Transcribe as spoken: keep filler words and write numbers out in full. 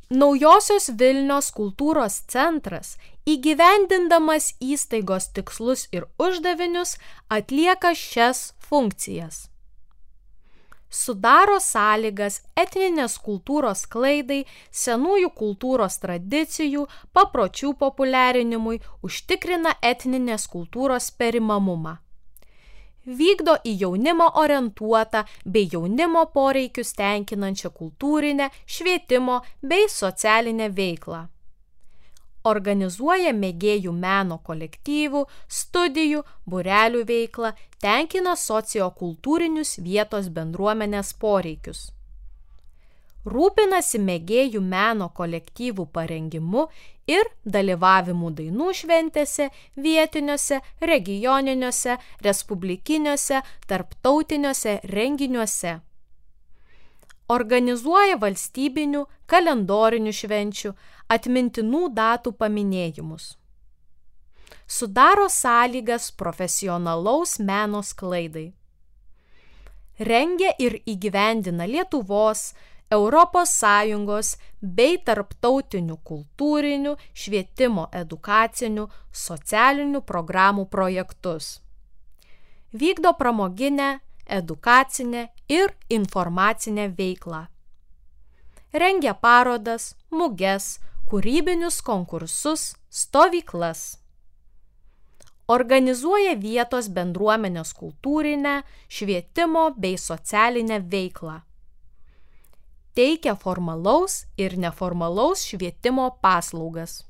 Naujosios Vilnios kultūros centras, įgyvendindamas įstaigos tikslus ir uždavinius, atlieka šias funkcijas. Sudaro sąlygas etninės kultūros sklaidai, senųjų kultūros tradicijų, papročių populiarinimui, užtikrina etninės kultūros perimamumą. Vykdo į jaunimą orientuotą bei jaunimo poreikius tenkinančią kultūrinę, švietimo bei socialinę veiklą. Organizuoja mėgėjų meno kolektyvų, studijų, būrelių veiklą, tenkina sociokultūrinius vietos bendruomenės poreikius. Rūpinasi mėgėjų meno kolektyvų parengimu ir dalyvavimu dainų šventėse, vietiniuose, regioniniuose, respublikiniuose, tarptautiniuose renginiuose. Organizuoja valstybinių, kalendorinių švenčių, atmintinų datų paminėjimus. Sudaro sąlygas profesionalaus meno sklaidai. Rengia ir įgyvendina Lietuvos, Europos Sąjungos bei tarptautinių kultūrinių, švietimo edukacinių, socialinių programų projektus. Vykdo pramoginę, edukacinę ir informacinę veiklą. Rengia parodas, muges, kūrybinius konkursus, stovyklas. Organizuoja vietos bendruomenės kultūrinę, švietimo bei socialinę veiklą. Teikia formalaus ir neformalaus švietimo paslaugas.